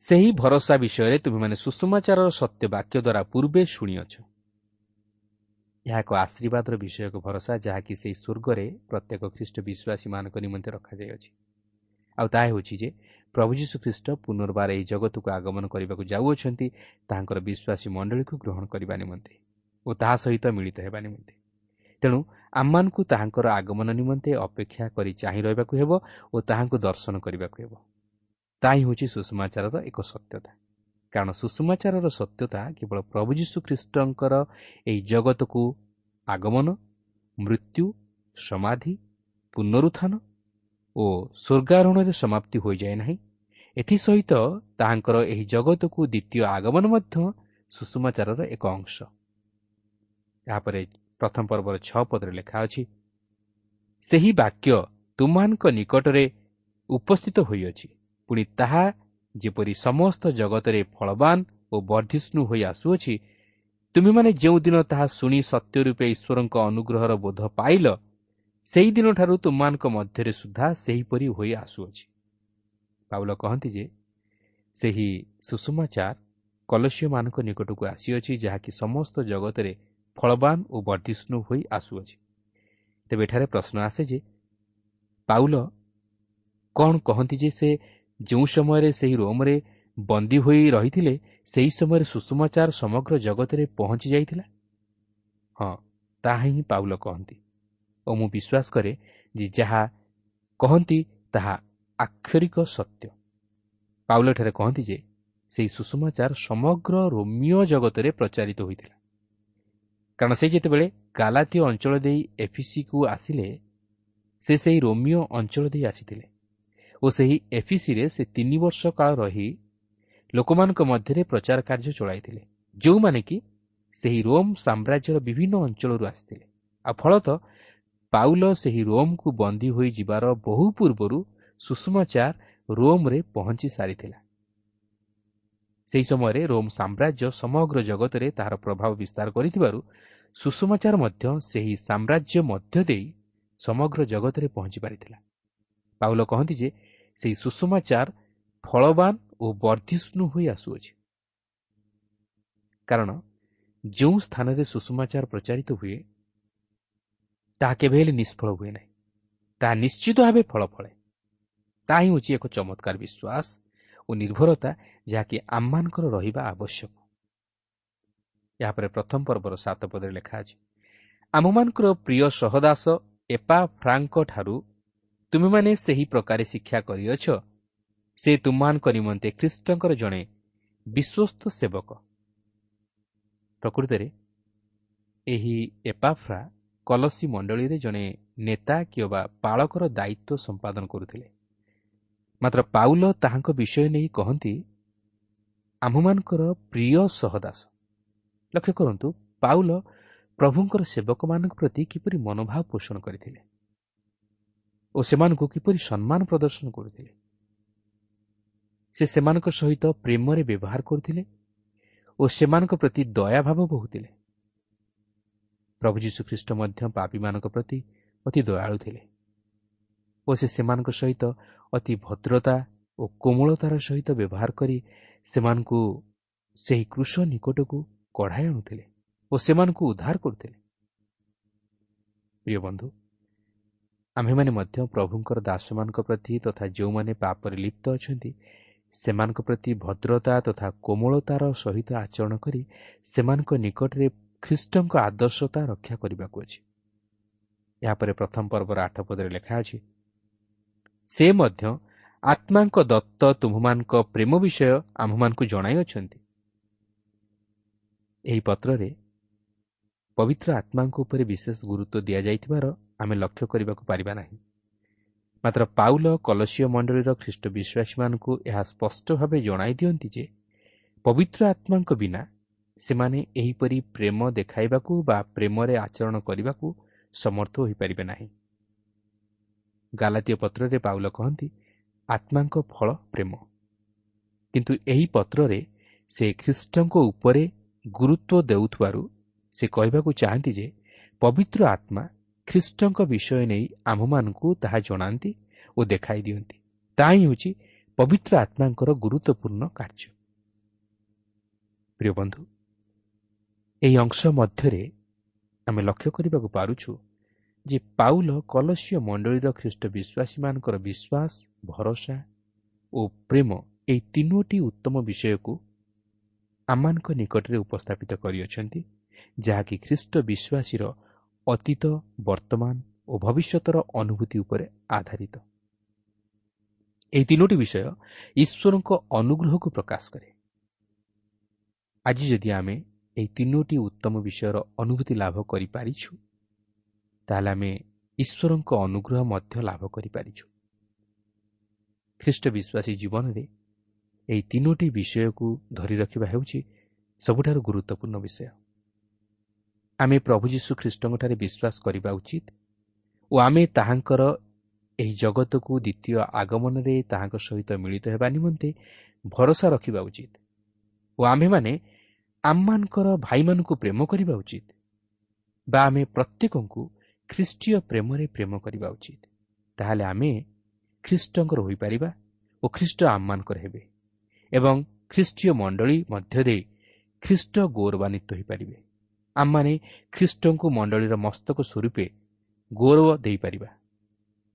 ସେହି ଭରସା ବିଷୟରେ ତୁମେମାନେ ସୁସମାଚାରର ସତ୍ୟ ବାକ୍ୟ ଦ୍ୱାରା ପୂର୍ବେ ଶୁଣିଅଛ। ଏହା ଏକ ଆଶୀର୍ବାଦର ବିଷୟକ ଭରସା, ଯାହାକି ସେହି ସ୍ୱର୍ଗରେ ପ୍ରତ୍ୟେକ ଖ୍ରୀଷ୍ଟ ବିଶ୍ୱାସୀମାନଙ୍କ ନିମନ୍ତେ ରଖାଯାଇଅଛି। ଆଉ ତାହା ହେଉଛି ଯେ ପ୍ରଭୁ ଯୀଶୁ ଖ୍ରୀଷ୍ଟ ପୁନର୍ବାର ଏହି ଜଗତକୁ ଆଗମନ କରିବାକୁ ଯାଉଅଛନ୍ତି ତାହାଙ୍କର ବିଶ୍ୱାସୀ ମଣ୍ଡଳୀକୁ ଗ୍ରହଣ କରିବା ନିମନ୍ତେ ଓ ତାହା ସହିତ ମିଳିତ ହେବା ନିମନ୍ତେ। ତେଣୁ ଆମମାନଙ୍କୁ ତାହାଙ୍କର ଆଗମନ ନିମନ୍ତେ ଅପେକ୍ଷା କରି ଚାହିଁ ରହିବାକୁ ହେବ ଓ ତାହାଙ୍କୁ ଦର୍ଶନ କରିବାକୁ ହେବ। ତାହା ହିଁ ହେଉଛି ସୁସମାଚାରର ଏକ ସତ୍ୟତା, କାରଣ ସୁସମାଚାରର ସତ୍ୟତା କେବଳ ପ୍ରଭୁ ଯୀଶୁ ଖ୍ରୀଷ୍ଟଙ୍କର ଏହି ଜଗତକୁ ଆଗମନ, ମୃତ୍ୟୁ, ସମାଧି, ପୁନରୁତ୍ଥାନ ଓ ସ୍ୱର୍ଗାରୋହଣରେ ସମାପ୍ତି ହୋଇଯାଏ ନାହିଁ। ଏଥିସହିତ ତାହାଙ୍କର ଏହି ଜଗତକୁ ଦ୍ୱିତୀୟ ଆଗମନ ମଧ୍ୟ ସୁସମାଚାରର ଏକ ଅଂଶ। ଏହାପରେ ପ୍ରଥମ ପର୍ବର 6 ପଦରେ ଲେଖା ଅଛି, ସେହି ବାକ୍ୟ ତୁମମାନଙ୍କ ନିକଟରେ ଉପସ୍ଥିତ ହୋଇଅଛି, ପୁଣି ତାହା ଯେପରି ସମସ୍ତ ଜଗତରେ ଫଳବାନ ଓ ବର୍ଦ୍ଧିଷ୍ଣୁ ହୋଇ ଆସୁଅଛି, ତୁମେମାନେ ଯେଉଁଦିନ ତାହା ଶୁଣି ସତ୍ୟ ରୂପେ ଈଶ୍ୱରଙ୍କ ଅନୁଗ୍ରହର ବୋଧ ପାଇଲ, ସେହିଦିନଠାରୁ ତୁମମାନଙ୍କ ମଧ୍ୟରେ ସୁଦ୍ଧା ସେହିପରି ହୋଇ ଆସୁଅଛି। ପାଉଲ କହନ୍ତି ଯେ ସେହି ସୁସମାଚାର କଲସୀୟମାନଙ୍କ ନିକଟକୁ ଆସିଅଛି, ଯାହାକି ସମସ୍ତ ଜଗତରେ ଫଳବାନ ଓ ବର୍ଦ୍ଧିଷ୍ଣୁ ହୋଇ ଆସୁଅଛି। ତେବେ ଏଠାରେ ପ୍ରଶ୍ନ ଆସେ ଯେ ପାଉଲ କ'ଣ କହନ୍ତି ଯେ ସେ ଯେଉଁ ସମୟରେ ସେହି ରୋମରେ ବନ୍ଦୀ ହୋଇ ରହିଥିଲେ ସେହି ସମୟରେ ସୁସମାଚାର ସମଗ୍ର ଜଗତରେ ପହଞ୍ଚି ଯାଇଥିଲା? ହଁ, ତାହା ହିଁ ପାଉଲ କହନ୍ତି ଓ ମୁଁ ବିଶ୍ୱାସ କରେ ଯେ ଯାହା କହନ୍ତି ତାହା ଆକ୍ଷରିକ ସତ୍ୟ। ପାଉଲ ଏଠାରେ କହନ୍ତି ଯେ ସେହି ସୁସମାଚାର ସମଗ୍ର ରୋମୀୟ ଜଗତରେ ପ୍ରଚାରିତ ହୋଇଥିଲା, କାରଣ ସେ ଯେତେବେଳେ ଗାଲାତୀୟ ଅଞ୍ଚଳ ଦେଇ ଏଫିସିକୁ ଆସିଲେ, ସେ ସେହି ରୋମୀୟ ଅଞ୍ଚଳ ଦେଇ ଆସିଥିଲେ ଓ ସେହି ଏଫିସିରେ ସେ 3 ବର୍ଷ କାଳ ରହି ଲୋକମାନଙ୍କ ମଧ୍ୟରେ ପ୍ରଚାର କାର୍ଯ୍ୟ ଚଳାଇଥିଲେ, ଯେଉଁମାନେ କି ସେହି ରୋମ୍ ସାମ୍ରାଜ୍ୟର ବିଭିନ୍ନ ଅଞ୍ଚଳରୁ ଆସିଥିଲେ। ଆଉ ଫଳତଃ ପାଉଲ ସେହି ରୋମ୍କୁ ବନ୍ଦୀ ହୋଇ ଯିବାର ବହୁ ପୂର୍ବରୁ ସୁସମାଚାର ରୋମ୍ରେ ପହଞ୍ଚି ସାରିଥିଲା। ସେହି ସମୟରେ ରୋମ୍ ସାମ୍ରାଜ୍ୟ ସମଗ୍ର ଜଗତରେ ତାହାର ପ୍ରଭାବ ବିସ୍ତାର କରିଥିବାରୁ ସୁସମାଚାର ମଧ୍ୟ ସେହି ସାମ୍ରାଜ୍ୟ ମଧ୍ୟ ଦେଇ ସମଗ୍ର ଜଗତରେ ପହଞ୍ଚି ପାରିଥିଲା। ପାଉଲ କହନ୍ତି ଯେ ସେହି ସୁସମାଚାର ଫଳବାନ ଓ ବର୍ଦ୍ଧିଷ୍ଣୁ ହୋଇ ଆସୁଅଛି, କାରଣ ଯେଉଁ ସ୍ଥାନରେ ସୁସମାଚାର ପ୍ରଚାରିତ ହୁଏ ତାହା କେବେ ହେଲେ ନିଷ୍ଫଳ ହୁଏ ନାହିଁ, ତାହା ନିଶ୍ଚିତ ଭାବେ ଫଳ ଫଳେ। ତାହା ହିଁ ହେଉଛି ଏକ ଚମତ୍କାର ବିଶ୍ୱାସ ଓ ନିର୍ଭରତା, ଯାହାକି ଆମମାନଙ୍କର ରହିବା ଆବଶ୍ୟକ। ଏହାପରେ ପ୍ରଥମ ପର୍ବର 7 ପଦରେ ଲେଖା ଅଛି, ଆମମାନଙ୍କର ପ୍ରିୟ ସହଦାସ ଏପାଫ୍ରାଙ୍କ ଠାରୁ ତୁମେମାନେ ସେହି ପ୍ରକାରେ ଶିକ୍ଷା କରିଅଛ, ସେ ତୁମମାନଙ୍କ ନିମନ୍ତେ ଖ୍ରୀଷ୍ଟଙ୍କର ଜଣେ ବିଶ୍ୱସ୍ତ ସେବକ। ପ୍ରକୃତରେ ଏହି ଏପାଫ୍ରା କଲସୀ ମଣ୍ଡଳୀରେ ଜଣେ ନେତା କିମ୍ବା ପାଳକର ଦାୟିତ୍ୱ ସମ୍ପାଦନ କରୁଥିଲେ। ମାତ୍ର ପାଉଲ ତାହାଙ୍କ ବିଷୟ ନେଇ କହନ୍ତି, ଆମ୍ଭମାନଙ୍କର ପ୍ରିୟ ସହଦାସ। ଲକ୍ଷ୍ୟ କରନ୍ତୁ, ପାଉଲ ପ୍ରଭୁଙ୍କର ସେବକମାନଙ୍କ ପ୍ରତି କିପରି ମନୋଭାବ ପୋଷଣ କରିଥିଲେ ଓ ସେମାନଙ୍କୁ କିପରି ସମ୍ମାନ ପ୍ରଦର୍ଶନ କରୁଥିଲେ। ସେ ସେମାନଙ୍କ ସହିତ ପ୍ରେମରେ ବ୍ୟବହାର କରୁଥିଲେ ଓ ସେମାନଙ୍କ ପ୍ରତି ଦୟାଭାବ ବହୁଥିଲେ। ପ୍ରଭୁ ଯୀଶୁଖ୍ରୀଷ୍ଟ ମଧ୍ୟ ପାପୀମାନଙ୍କ ପ୍ରତି ଅତି ଦୟାଳୁ ଥିଲେ ଓ ସେ ସେମାନଙ୍କ ସହିତ ଅତି ଭଦ୍ରତା ଓ କୋମଳତାର ସହିତ ବ୍ୟବହାର କରି ସେମାନଙ୍କୁ ସେହି କ୍ରୁଶ ନିକଟକୁ କଢ଼ାଇ ଆଣୁଥିଲେ ଓ ସେମାନଙ୍କୁ ଉଦ୍ଧାର କରୁଥିଲେ। ପ୍ରିୟ ବନ୍ଧୁ, ଆମ୍ଭେମାନେ ମଧ୍ୟ ପ୍ରଭୁଙ୍କର ଦାସମାନଙ୍କ ପ୍ରତି ତଥା ଯେଉଁମାନେ ପାପରେ ଲିପ୍ତ ଅଛନ୍ତି ସେମାନଙ୍କ ପ୍ରତି ଭଦ୍ରତା ତଥା କୋମଳତାର ସହିତ ଆଚରଣ କରି ସେମାନଙ୍କ ନିକଟରେ ଖ୍ରୀଷ୍ଟଙ୍କ ଆଦର୍ଶତା ରକ୍ଷା କରିବାକୁ ଅଛି। ଏହାପରେ ପ୍ରଥମ ପର୍ବର 8 ପଦରେ ଲେଖା ଅଛି, ସେ ମଧ୍ୟ ଆତ୍ମାଙ୍କ ଦତ୍ତ ତୁମ୍ଭମାନଙ୍କ ପ୍ରେମ ବିଷୟ ଆମ୍ଭମାନଙ୍କୁ ଜଣାଇଅଛନ୍ତି। ଏହି ପତ୍ରରେ ପବିତ୍ର ଆତ୍ମାଙ୍କ ଉପରେ ବିଶେଷ ଗୁରୁତ୍ୱ ଦିଆଯାଇଥିବାର ଆମେ ଲକ୍ଷ୍ୟ କରିବାକୁ ପାରିବା ନାହିଁ। ମାତ୍ର ପାଉଲ କଲସୀୟ ମଣ୍ଡଳୀର ଖ୍ରୀଷ୍ଟ ବିଶ୍ୱାସୀମାନଙ୍କୁ ଏହା ସ୍ପଷ୍ଟ ଭାବେ ଜଣାଇ ଦିଅନ୍ତି ଯେ ପବିତ୍ର ଆତ୍ମାଙ୍କ ବିନା ସେମାନେ ଏହିପରି ପ୍ରେମ ଦେଖାଇବାକୁ ବା ପ୍ରେମରେ ଆଚରଣ କରିବାକୁ ସମର୍ଥ ହୋଇପାରିବେ ନାହିଁ। ଗାଲାତୀୟ ପତ୍ରରେ ପାଉଲ କହନ୍ତି, ଆତ୍ମାଙ୍କ ଫଳ ପ୍ରେମ। କିନ୍ତୁ ଏହି ପତ୍ରରେ ସେ ଖ୍ରୀଷ୍ଟଙ୍କ ଉପରେ ଗୁରୁତ୍ୱ ଦେଉଥିବାରୁ ସେ କହିବାକୁ ଚାହାନ୍ତି ଯେ ପବିତ୍ର ଆତ୍ମା ଖ୍ରୀଷ୍ଟଙ୍କ ବିଷୟ ନେଇ ଆମ୍ଭମାନଙ୍କୁ ତାହା ଜଣାନ୍ତି ଓ ଦେଖାଇ ଦିଅନ୍ତି। ତାହା ହିଁ ହେଉଛି ପବିତ୍ର ଆତ୍ମାଙ୍କର ଗୁରୁତ୍ୱପୂର୍ଣ୍ଣ କାର୍ଯ୍ୟ। ପ୍ରିୟ ବନ୍ଧୁ, ଏହି ଅଂଶ ମଧ୍ୟରେ ଆମେ ଲକ୍ଷ୍ୟ କରିବାକୁ ପାରୁଛୁ ଯେ ପାଉଲ କଲସୀୟ ମଣ୍ଡଳୀର ଖ୍ରୀଷ୍ଟ ବିଶ୍ୱାସୀମାନଙ୍କର ବିଶ୍ୱାସ, ଭରସା ଓ ପ୍ରେମ ଏହି ତିନୋଟି ଉତ୍ତମ ବିଷୟକୁ ଆମମାନଙ୍କ ନିକଟରେ ଉପସ୍ଥାପିତ କରିଅଛନ୍ତି, ଯାହାକି ଖ୍ରୀଷ୍ଟ ବିଶ୍ୱାସୀର ଅତୀତ, ବର୍ତ୍ତମାନ ଓ ଭବିଷ୍ୟତର ଅନୁଭୂତି ଉପରେ ଆଧାରିତ। ଏହି ତିନୋଟି ବିଷୟ ଈଶ୍ୱରଙ୍କ ଅନୁଗ୍ରହକୁ ପ୍ରକାଶ କରେ। ଆଜି ଯଦି ଆମେ ଏହି ତିନୋଟି ଉତ୍ତମ ବିଷୟର ଅନୁଭୂତି ଲାଭ କରିପାରିଛୁ, ତାହେଲେ ଆମେ ଈଶ୍ୱରଙ୍କ ଅନୁଗ୍ରହ ମଧ୍ୟ ଲାଭ କରିପାରିଛୁ। ଖ୍ରୀଷ୍ଟ ବିଶ୍ୱାସୀ ଜୀବନରେ ଏହି ତିନୋଟି ବିଷୟକୁ ଧରି ରଖିବା ହେଉଛି ସବୁଠାରୁ ଗୁରୁତ୍ୱପୂର୍ଣ୍ଣ ବିଷୟ। ଆମେ ପ୍ରଭୁ ଯୀଶୁ ଖ୍ରୀଷ୍ଟଙ୍କଠାରେ ବିଶ୍ୱାସ କରିବା ଉଚିତ ଓ ଆମେ ତାହାଙ୍କର ଏହି ଜଗତକୁ ଦ୍ୱିତୀୟ ଆଗମନରେ ତାହାଙ୍କ ସହିତ ମିଳିତ ହେବା ନିମନ୍ତେ ଭରସା ରଖିବା ଉଚିତ ଓ ଆମ୍ଭେମାନେ ଆମମାନଙ୍କର ଭାଇମାନଙ୍କୁ ପ୍ରେମ କରିବା ଉଚିତ ବା ଆମେ ପ୍ରତ୍ୟେକଙ୍କୁ ଖ୍ରୀଷ୍ଟୀୟ ପ୍ରେମରେ ପ୍ରେମ କରିବା ଉଚିତ। ତାହେଲେ ଆମେ ଖ୍ରୀଷ୍ଟଙ୍କର ହୋଇପାରିବା ଓ ଖ୍ରୀଷ୍ଟ ଆମମାନଙ୍କର ହେବେ ଏବଂ ଖ୍ରୀଷ୍ଟୀୟ ମଣ୍ଡଳୀ ମଧ୍ୟ ଦେଇ ଖ୍ରୀଷ୍ଟ ଗୌରବାନ୍ୱିତ ହୋଇପାରିବେ। ଆମମାନେ ଖ୍ରୀଷ୍ଟଙ୍କୁ ମଣ୍ଡଳୀର ମସ୍ତକ ସ୍ୱରୂପେ ଗୌରବ ଦେଇପାରିବା।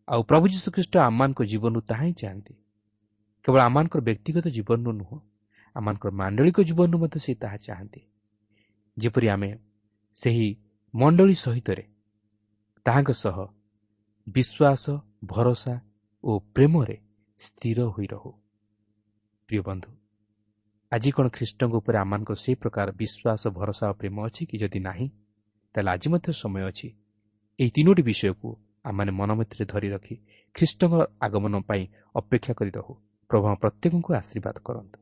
ଆଉ ପ୍ରଭୁ ଯୀଶୁଖ୍ରୀଷ୍ଟ ଆମମାନଙ୍କ ଜୀବନରୁ ତାହା ହିଁ ଚାହାନ୍ତି। କେବଳ ଆମମାନଙ୍କର ବ୍ୟକ୍ତିଗତ ଜୀବନରୁ ନୁହଁ, ଆମମାନଙ୍କର ମାଣ୍ଡଳିକ ଜୀବନରୁ ମଧ୍ୟ ସେ ତାହା ଚାହାନ୍ତି, ଯେପରି ଆମେ ସେହି ମଣ୍ଡଳୀ ସହିତରେ ତାହାଙ୍କ ସହ ବିଶ୍ୱାସ, ଭରସା ଓ ପ୍ରେମରେ ସ୍ଥିର ହୋଇ ରହୁ। ପ୍ରିୟ ବନ୍ଧୁ, ଆଜି କ'ଣ ଖ୍ରୀଷ୍ଟଙ୍କ ଉପରେ ଆମମାନଙ୍କର ସେହି ପ୍ରକାର ବିଶ୍ୱାସ, ଭରସା ଓ ପ୍ରେମ ଅଛି କି? ଯଦି ନାହିଁ, ତାହେଲେ ଆଜି ମଧ୍ୟ ସମୟ ଅଛି ଏହି ତିନୋଟି ବିଷୟକୁ ଆମମାନେ ମନ ମଧ୍ୟରେ ଧରି ରଖି ଖ୍ରୀଷ୍ଟଙ୍କ ଆଗମନ ପାଇଁ ଅପେକ୍ଷା କରି ରହୁ। ପ୍ରଭୁ ପ୍ରତ୍ୟେକଙ୍କୁ ଆଶୀର୍ବାଦ କରନ୍ତୁ।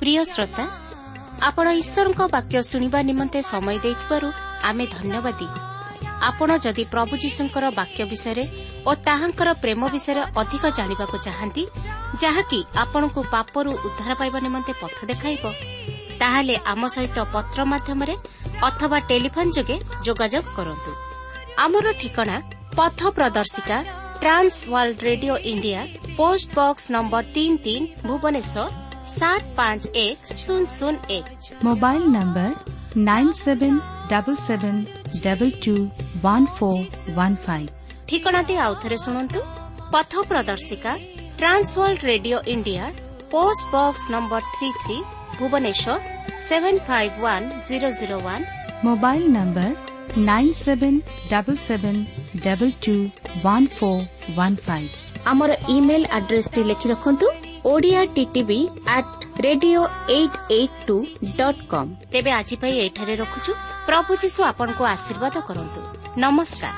ପ୍ରିୟ ଶ୍ରୋତା, ଆପଣ ଈଶ୍ୱରଙ୍କ ବାକ୍ୟ ଶୁଣିବା ନିମନ୍ତେ ସମୟ ଦେଇଥିବାରୁ ଆମେ ଧନ୍ୟବାଦୀ। ଆପଣ ଯଦି ପ୍ରଭୁ ଯୀଶୁଙ୍କର ବାକ୍ୟ ବିଷୟରେ ଓ ତାହାଙ୍କର ପ୍ରେମ ବିଷୟରେ ଅଧିକ ଜାଣିବାକୁ ଚାହାନ୍ତି, ଯାହାକି ଆପଣଙ୍କୁ ପାପରୁ ଉଦ୍ଧାର ପାଇବା ନିମନ୍ତେ ପଥ ଦେଖାଇବ, ତାହେଲେ ଆମ ସହିତ ପତ୍ର ମାଧ୍ୟମରେ ଅଥବା ଟେଲିଫୋନ୍ ଯୋଗେ ଯୋଗାଯୋଗ କରନ୍ତୁ। ଆମର ଠିକଣା ପଥ ପ୍ରଦର୍ଶିକା, Trans World Radio India, post box number 33, Bhubaneswar 751001। Mobile number 9777221415। ଠିକଣାଟି ଆଉଥରେ ଶୁଣନ୍ତୁ। ପଥ ପ୍ରଦର୍ଶିକା, Trans World Radio India, post box number 33, Bhubaneswar 751001। Mobile number 9777221415। ଆମର ଇମେଲ୍ ଆଡ୍ରେସଟି ଲେଖି ରଖନ୍ତୁ, Odia TTV at radio 882.com। ତେବେ ଆଜି ପାଇଁ ଏଇଠାରେ ରଖୁଛୁ। ପ୍ରଭୁ ଯୀଶୁ ଆପଣଙ୍କୁ ଆଶୀର୍ବାଦ କରନ୍ତୁ। ନମସ୍କାର।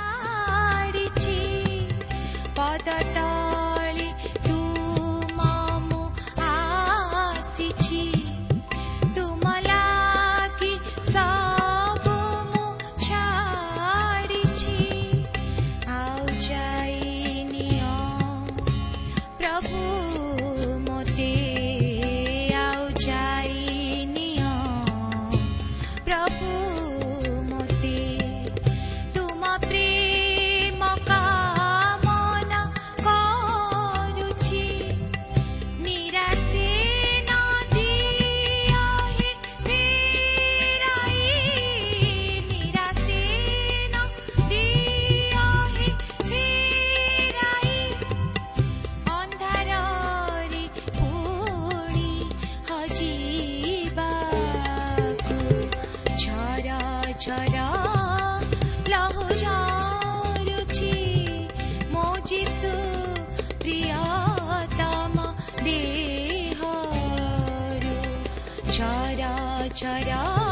ଦେହରୁ ଛରା ଛରା।